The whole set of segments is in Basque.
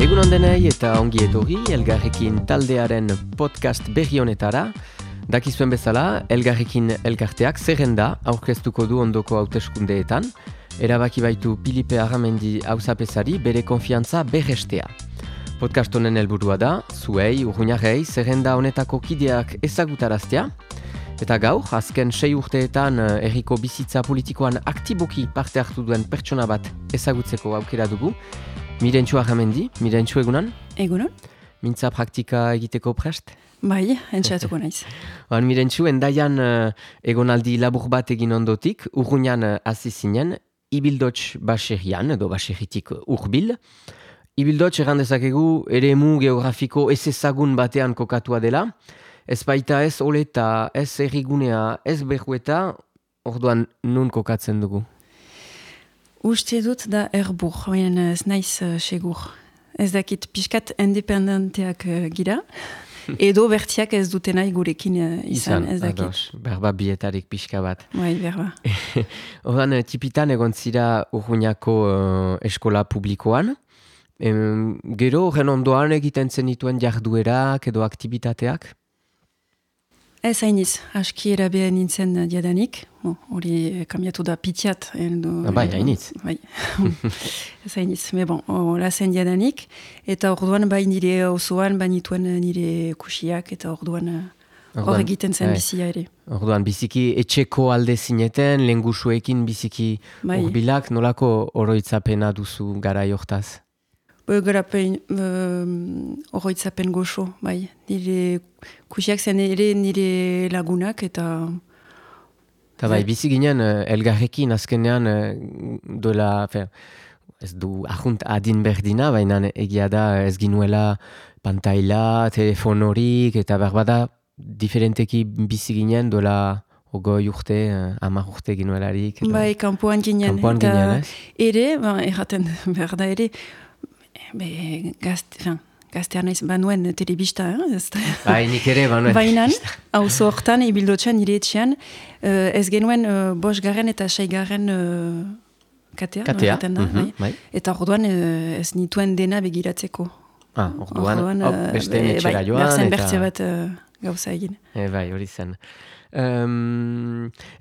Egun ondenei eta ongi etorri Elgarrekin taldearen podcast berri honetara. Dakizuen bezala, Elgarrekin elkarteak zerrenda aurkeztuko du ondoko hauteskundeetan. Erabaki baitu Filipe Arramendi auzapezari bere konfiantza berrestea. Podcast honen helburua da, zuei, urruñarrei, zerrenda honetako kideak ezagutaraztea. Eta gaur, azken 6 urteetan herriko bizitza politikoan aktiboki parte hartu duen pertsona bat ezagutzeko aukera dugu. Mirentxu Arramendi, Mirentxu egunan? Egunan. Mintza praktika egiteko prest? Bai, entxatuko naiz. Mirentxu, endaian egonaldi labur bat egin ondotik, urruñan hasi zinen, Ibildots baserrian, edo baserritik urbil. Ibildots errandezakegu eremu geografiko ez ezagun batean kokatua dela. Ez baita ez oleta, ez errigunea, ez berrueta, orduan nun kokatzen dugu? Uste dut da erbur, baina ez naiz segur. Ez dakit pixkat independenteak gira, edo bertiak ez dute nahi gurekin izan, ez dakit. Ados, berba bietarik pixka bat. Bai, berba. Orduan, tipitan egon zira Urruñako eskola publikoan. Gero, horren ondoan egiten zenituen jarduerak edo aktivitateak? Ez hainiz, aski erabea nintzen diadanik. Hori kambiatu da pitiat. Bai, hainitz. Bai, ez hainiz. Me bon, hola zen diadanik. Eta orduan bai nire osoan, banituen nire kusiak, eta orduan hor egiten zen bizia ere. Orduan, biziki etxeko alde zineten, lengusuekin biziki urbilak, nolako oroitzapena duzu garai hortaz? Garapen oroitzapen goxo, bai. Nire kusiak zen ere nire lagunak eta... Eta bai, bizi ginen elgarrekin azkenean duela, ez du ahunt adin berdina, baina egia da ez ginuela pantaila, telefonorik, eta berbada diferenteki bizi ginen duela 20 urte, 10 urte ginuelarik. Bai, kanpoan ginen. Kanpoan ginen, ez? Ere, erraten berda ere, gaztean naiz banuen telebista, Bai, nik ere banuen. Bainan, auzo hortan, Ibildotxan, nire etxean, ez genuen 5. eta 6. katea. Bai. Eta orduan ez nituen dena begiratzeko. Orduan, beste etxera joan. Berzen bertze bat gauza egin. Bai, hori zen.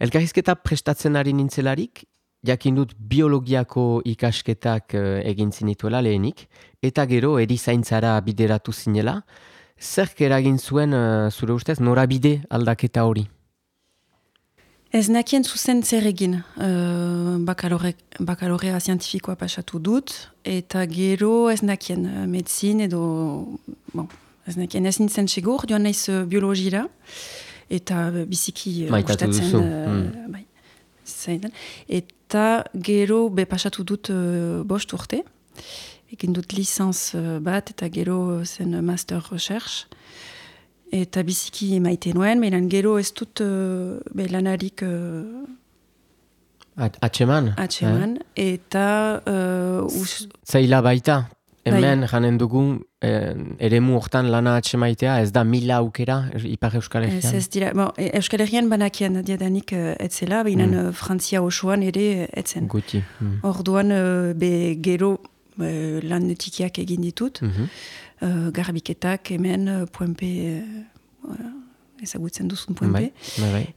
Elkarrizketa prestatzen ari nintzelarik, jakin dut biologiako ikasketak egin zinituela lehenik, eta gero erizaintzara bideratu zinela. Zerk eragin zuen, zure ustez, norabide aldaketa hori? Ez nakien zuzen zer egin. Bakalorea zientifikoa pasatu dut, eta gero ez nakien medizin edo... ez nakien ez nintzen segur, joan naiz biologira, eta biziki gustatzen... Eta gero pasatu dut 5 urte. Egin dut licenz bat eta gero zen master recherche. Eta biziki maite nuen, baina gero ez dut lanarik... Atxeman? Atxeman, eta... Zaila baita? Hemen janen dugu eremu hortan lana atxemaitea, ez da 1000 aukera Ipar Euskal Herrian? Ez dira, Euskal Herrian banakien diadanik etzela, baina Frantzia osoan ere etzen. Guti. Orduan gero lan tikiak egin ditut, garbiketak hemen Puenpe, ezagutzen duzun Puenpe,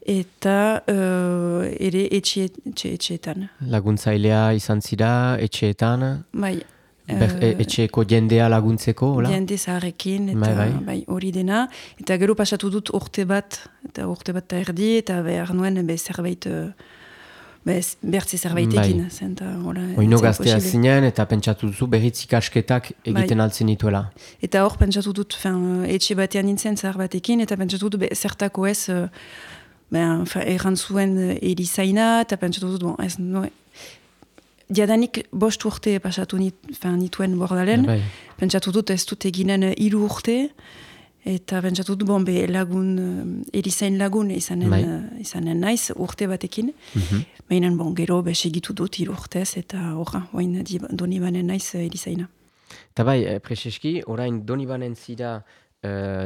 eta ere etxeetan. Laguntzailea izan zira, etxeetan? Bai. Etxeko jendea laguntzeko, hola? Jende zaharrekin, eta hori dena. Eta gero pasatu dut urte bat erdi, eta behar nuen zerbait, bertze zerbaitekin. Oino gaztea zinen, eta pentsatu duzu berriz ikasketak egiten altzen dituela. Eta hor pentsatu dut, etxe batean nintzen zahar batekin, eta pentsatu dut zertako ez, erran zuen erizaina, eta pentsatu dut, ez diadanik 5 urte pasatu nituen bordalen, pentsatu dut ez dut eginen 3 urte, eta pentsatu dut erizain lagun izanen naiz urte batekin. Baina gero segitu dut 3 urtez, eta horra, Donibanen naiz erizaina. Eta bai, Prezeski, orain Donibanen zira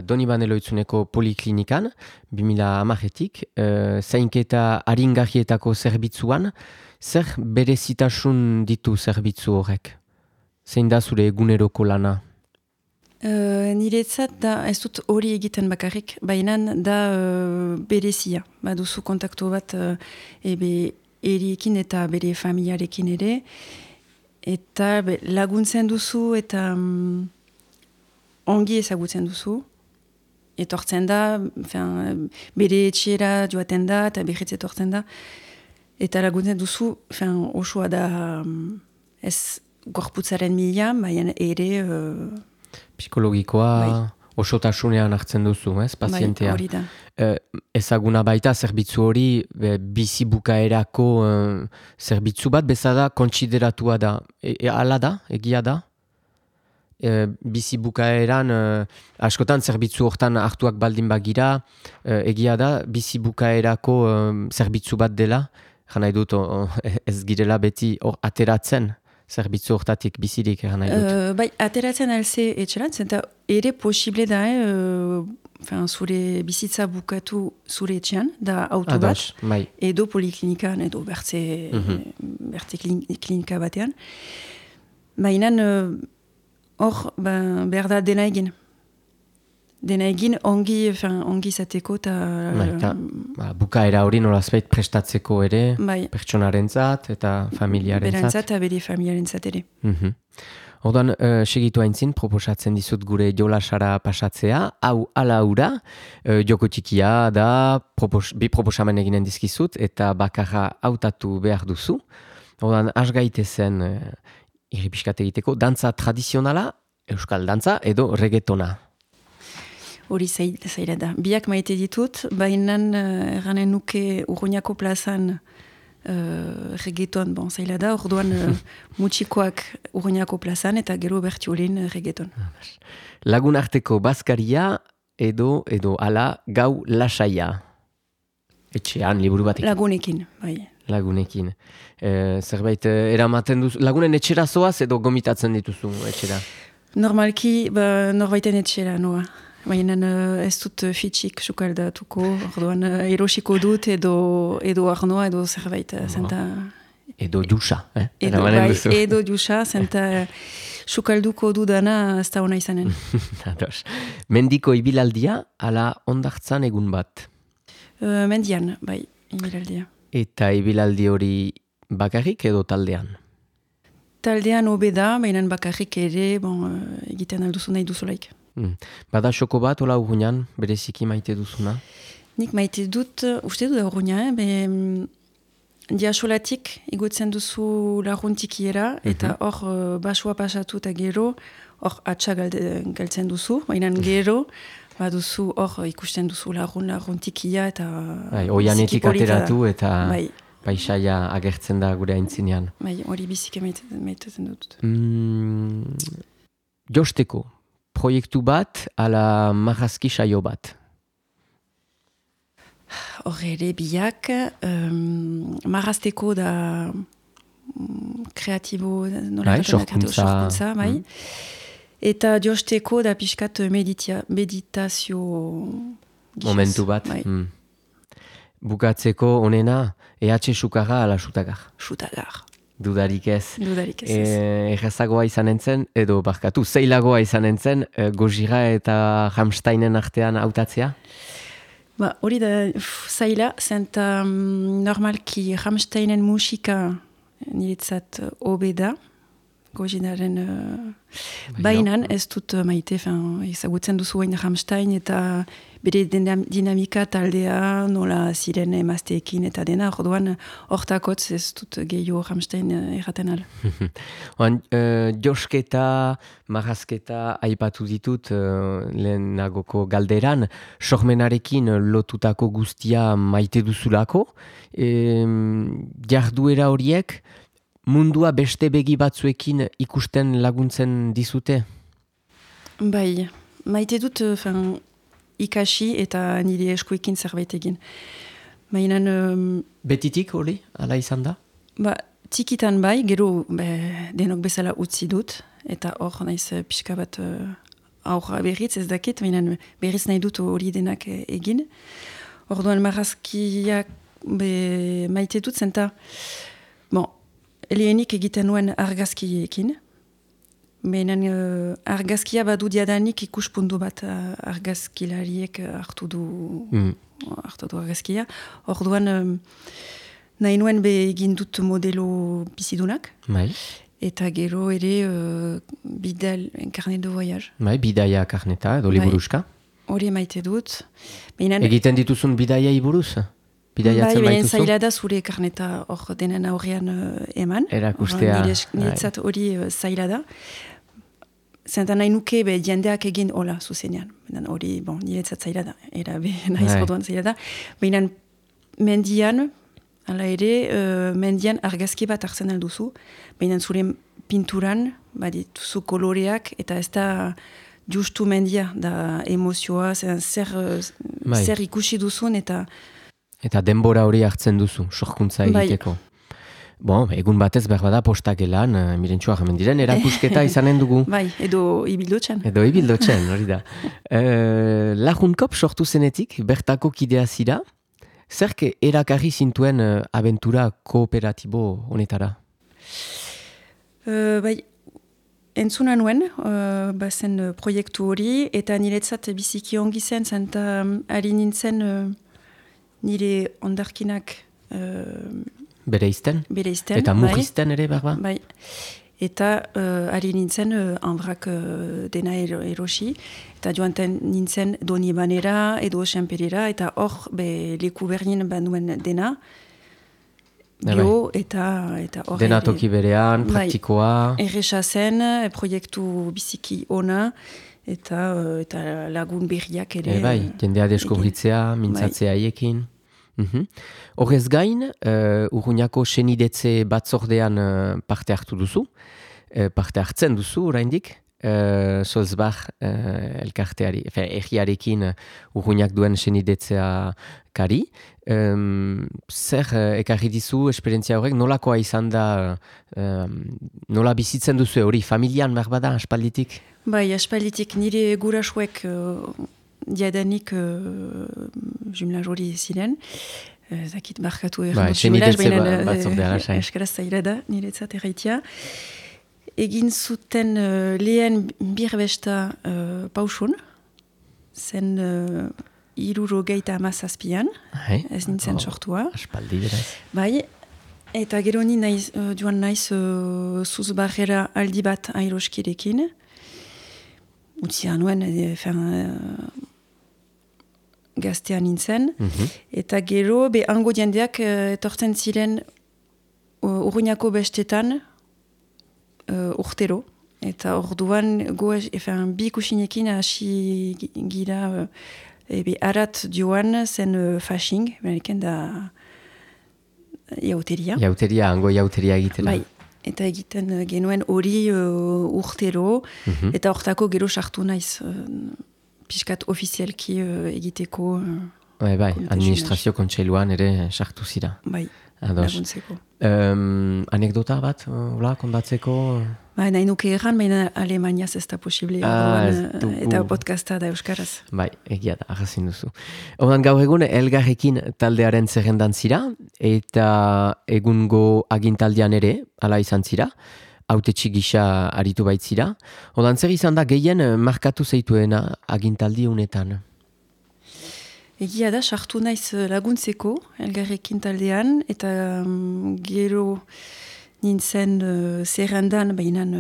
Donibane Loitzuneko poliklinikan, 2010-etik, zainketa aringarrietako zerbitzuan, zer berezitasun ditu zerbitzu horrek? Zein da zure eguneroko lana Niretzat da, ez dut hori egiten bakarrik, baina da berezia. Baduzu kontaktu bat eriekin eta bere familiarekin ere, eta laguntzen duzu eta ongi ezagutzen duzu. Etortzen da, bere etxera joaten da, eta berriz etortzen da. Eta laguntzen duzu, osoa da ez gorputzaren mila, baina ere... Psikologikoa osotasunean hartzen duzu, pazientea. Bai, hori da. Ezaguna baita, zerbitzu hori bizi bukaerako zerbitzu bat, bezala kontsideratua da. Hala da, egia da? Bizi bukaeran, askotan zerbitzu hortan hartuak baldin bagira, egia da, bizi bukaerako zerbitzu bat dela, jana edut ez girela beti ateratzen. Zerbitzu hortatik bizirik eran nahi dut. Bai, ateratzen alze etxeran, zenta ere posible da, zure bizitza bukatu zure etxean, da auto bat, edo poliklinikan, edo bertze klinika batean. Baina hor, behar da dena egin. Dena egin ongi izateko eta... bukaera hori nolazbait prestatzeko ere, pertsonarentzat eta familiarentzat. Berentzat eta bere familiarentzat ere. Orduan, segitu haintzin, proposatzen dizut gure jolasara pasatzea, hau ala hura, joko txikia da, bi proposamen eginen dizkizut, eta bakarra hautatu behar duzu. Orduan, asgaitezen irripiskat egiteko, dantza tradizionala, euskal dantza, edo reggaetona. Hori zaila da. Biak maite ditut, baina erranen nuke Urruñako plazan reggaeton, zaila da, orduan mutxikoak Urruñako plazan eta gero bertiolin reggaeton. Lagun arteko bazkaria edo ala gau lasaia. Etxean, liburu batekin. Lagunekin, bai. Lagunekin. Zerbait eramaten duzu, lagunen etxera zoaz edo gomitatzen dituzu etxera? Normalki, norbaiten etxera noa. Baina ez dut fitxik sukaldatuko, orduan erosiko dut edo arnoa edo zerbait. Edo jusa, Edo jusa, zenta sukalduko dudana ez da hona izanen. Mendiko ibilaldia, ala ondartzan egun bat? Mendian, bai, ibilaldia. Eta ibilaldi hori bakarrik edo taldean? Taldean hobe da, baina bakarrik ere egiten alduzu nahi duzulaik. Bada xoko bat, hola Urruñan, bereziki maite duzuna? Nik maite dut, uste dut Urruña, diasolatik igotzen duzu laguntikiera, eta hor basua pasatu eta gero, hor atxa galtzen duzu, baina gero, baduzu hor ikusten duzu laguntikia eta... Oianetik ateratu eta paisaia agertzen da gure aintzinean. Hori biziki maitezen dut. Josteko, proiektu bat ala marrazki saio bat? Horre biak, marrazteko da kreatibo, sorkuntza, bai. Eta josteko da pixkat meditazio gizaz. Momentu bat. Bukatzeko onena, sukarra ala sutagar? Sutagar. Dudarik ez. Errazagoa izan entzen, edo barkatu, zeilagoa izan entzen, Gojira eta Rammsteinen artean hautatzea? Hori da zaila, zenta normalki Rammsteinen musika niretzat hobe da, Gojiraren bainan, ez dut maite, ezagutzen duzu hain Rammstein eta bere dinamika taldea nola ziren emazteekin eta dena, orduan hortakotz ez dut gehiago Rammstein erraten ala. Josketa, marrazketa aipatu ditut lehenagoko galderan, sormenarekin lotutako guztia maite duzulako, jarduera horiek mundua beste begi batzuekin ikusten laguntzen dizute? Bai, maite dut ikasi eta nire eskuekin zerbait egin. Betitik hori, ala izan da? Txikitan bai, gero denok bezala utzi dut, eta hor naiz pixka bat aurra berriz ez dakit, berriz nahi dut hori denak egin. Orduan marrazkiak maite dut zenta, lehenik egiten nuen argazkiekin, Benen argazkia badu diadanik ikuspuntu bat argazkilariek hartu du argazkia. Orduan nahi nuen egin dut modelo bizidunak. Bai. Eta gero ere carnet de voyage. Bai, bidaia karneta edo liburuska. Hori maite dut. Egiten dituzun bidaiai buruz? Bidaiatzen baituzu? Bai, zaila da zure karneta hor denen aurrean eman. Erakustea. Niretzat hori zaila da. Zentan nahi nuke jendeak egin hola zuzenean. Hori, niretzat zaila da. Era nahiz orduan zaila da. Baina mendian, hala ere, mendian argazki bat hartzen alduzu. Baina zure pinturan, dituzu koloreak, eta ez da justu mendia, da emozioa, zer ikusi duzun, eta... Eta denbora hori hartzen duzu, sorkuntza egiteko. Egun batez behar bada postakelan, mirentxua hemen diren, erakusketa izanen dugu. Bai, edo ibildotzen. Hori da. Lajunkop sortu zenetik, bertako kidea zira, zerke erakarri zintuen abentura kooperatibo honetara? Bai, entzuna nuen, bazen proiektu hori, eta niretzat biziki ongi zen, zenta ari nintzen nire ondarkinak... Bereizten? Bereizten, eta mugizten ere, berba? Bai. Eta ari nintzen hanbrak dena erosi, eta joanten nintzen doni banera edo senperera, eta hor leku berdin banduen dena, bio eta hor... Dena toki berean, praktikoa... Erresa zen, proiektu biziki ona, eta lagun berriak ere... Bai, jendea deskubritzea, mintzatzea haiekin... Horrez gain, Urruñako senidetze batzordean parte hartu duzu, parte hartzen duzu oraindik, Solzbach elkarteari, egiarekin Urruñak duen senidetzea kari. Zer ekarri dizu esperientzia horrek, nolakoa izan da, nola bizitzen duzu hori, familian behar bada, aspalditik? Bai, aspalditik nire gurasuek... Diadanik jumlaz hori ziren. Zakit barkatu errandut jumlaz, baina eskaraz zaila da, niretzat erraitia. Egin zuten lehen birbesta pausun, zen 70 ez nintzen sortua. Aspaldi beraz. Bai, eta gero ni joan naiz Zuzbarrera aldi bat airoskirekin. Utzia nuen, gaztean nintzen, eta gero, hango jendeak etortzen ziren Urruñako bestetan urtero, eta orduan bi kusinekin hasi gira arat joan zen fasching, beneken da jauteria. Hango jauteria egitela. Bai. Eta egiten genuen hori urtero, eta hortako gero sartu naiz piskat ofizialki egiteko... Bai, administrazio kontseiluan ere sartu zira. Bai, laguntzeko. Anekdota bat, kondatzeko? Bai, nahi nuke erran, baina Alemaniaz ez da posible, eta podcasta da euskaraz. Bai, egia da, arrazin duzu. Horren gaur egun, Elgarrekin taldearen zerrendan zira, eta egungo agintaldian ere, ala izan zira, hautetxe gisa aritu baitzira. Horren zer izan da gehien markatu zeituena agintaldi honetan? Egia da, sartu naiz laguntzeko, Elgarrekin taldean, eta gero... nintzen zerrendan behinan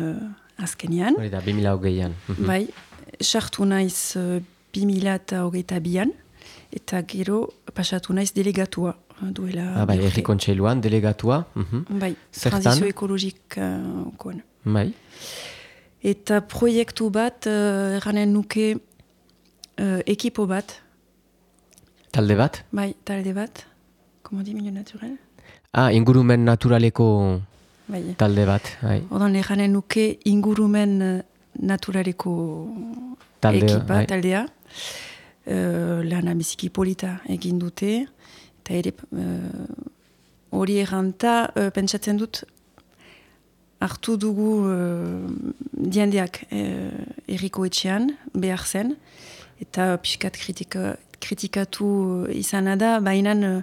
azkenean. Hori da, 2008an. Bai, sartu naiz 2022an, eta gero pasatu naiz delegatua. Duela bai, Herri Kontseiluan, delegatua. Bai, transizio ekologikoan. Bai. Eta proiektu bat, erranen nuke ekipo bat. Talde bat? Bai, talde bat. Comment dit milieu naturel? Ingurumen naturaleko... Bai. Talde bat, bai. Odan lehanen nuke ingurumen naturaleko ekipa, taldea. Lana biziki polita egin dute. Eta ere hori erranta, pentsatzen dut, hartu dugu diendeak erriko etxean, behar zen. Eta pixkat kritikatu izan da, baina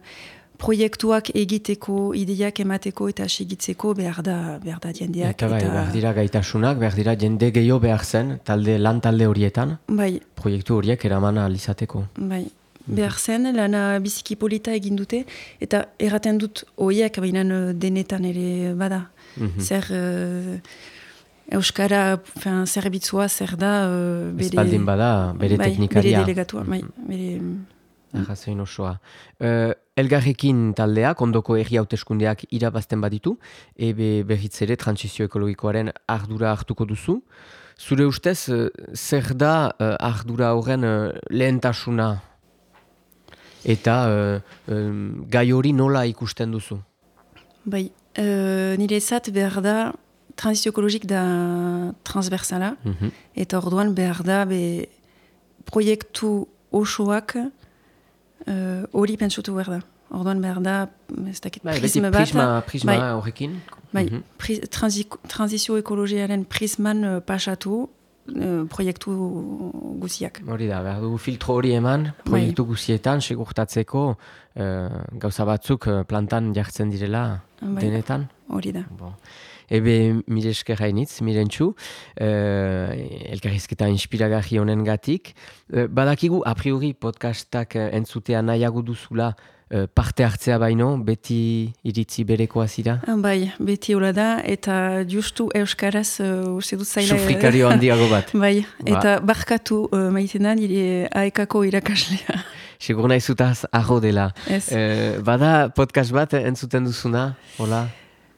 proiektuak egiteko, ideiak emateko eta segitzeko behar da jendeak. Eta behar dira gaitasunak, behar dira jende gehiago behar zen, lan talde horietan, proiektu horiek eraman alizateko. Bai, behar zen, lana biziki polita egin dute, eta erraten dut horiek, baina denetan ere bada. Zer... Euskara zerbitzua zer da... Espaldin bada, bere teknikaria. Bere delegatua, bere... Arrazoin osoa. Elgarrekin taldeak, ondoko herri hauteskundeak irabazten baditu, berriz ere transizio ekologikoaren ardura hartuko duzu. Zure ustez, zer da ardura horren lehentasuna? Eta gai hori nola ikusten duzu? Bai, nire ezat behar da transizio ekologik da transversala, eta orduan behar da proiektu osoak hori pentsutu behar da. Orduan behar da, ez dakit, prisma bat. Prisma horrekin. Bai, transizio ekologiaren prisman pasatu proiektu guziak. Hori da, behar dugu filtro hori eman, proiektu guzietan, segurtatzeko gauza batzuk plantan jartzen direla denetan. Hori da. Ebe, mire esker hainitz, mirentxu, elkarrizketa inspiragarri honen gatik. Badakigu, a priori podcastak entzutea nahiago duzula parte hartzea baino, beti iritzi berekoa zira? Bai, beti hola da, eta justu euskaraz uste dut zaila... Sufrikario handiago bat. Bai, eta barkatu maitenan aekako irakaslea. Segur nahi zutaz aho dela. Bada podcast bat entzuten duzuna, hola?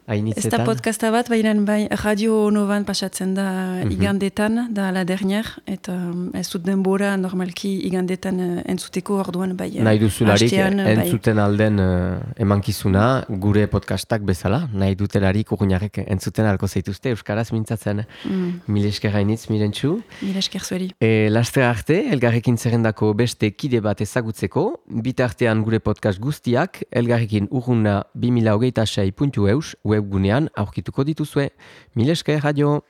Ez da podcasta bat, baina Radio Novan pasatzen da igandetan, da la dernier, eta ez dut denbora normalki igandetan entzuteko orduan bai. Nahi duzularik entzuten alden emankizuna, gure podcastak bezala, nahi dutelarik urgunarek entzuten alko zaituzte, euskaraz mintzatzen. Mil esker hainitz, mirentxu. Mil esker zueri. Laster arte, elgarrekin zerrendako beste kide bat ezagutzeko, bitartean gure podcast guztiak, elgarrekin urguna 2026.eus, webgunean aurkituko dituzue. Mil esker, radio!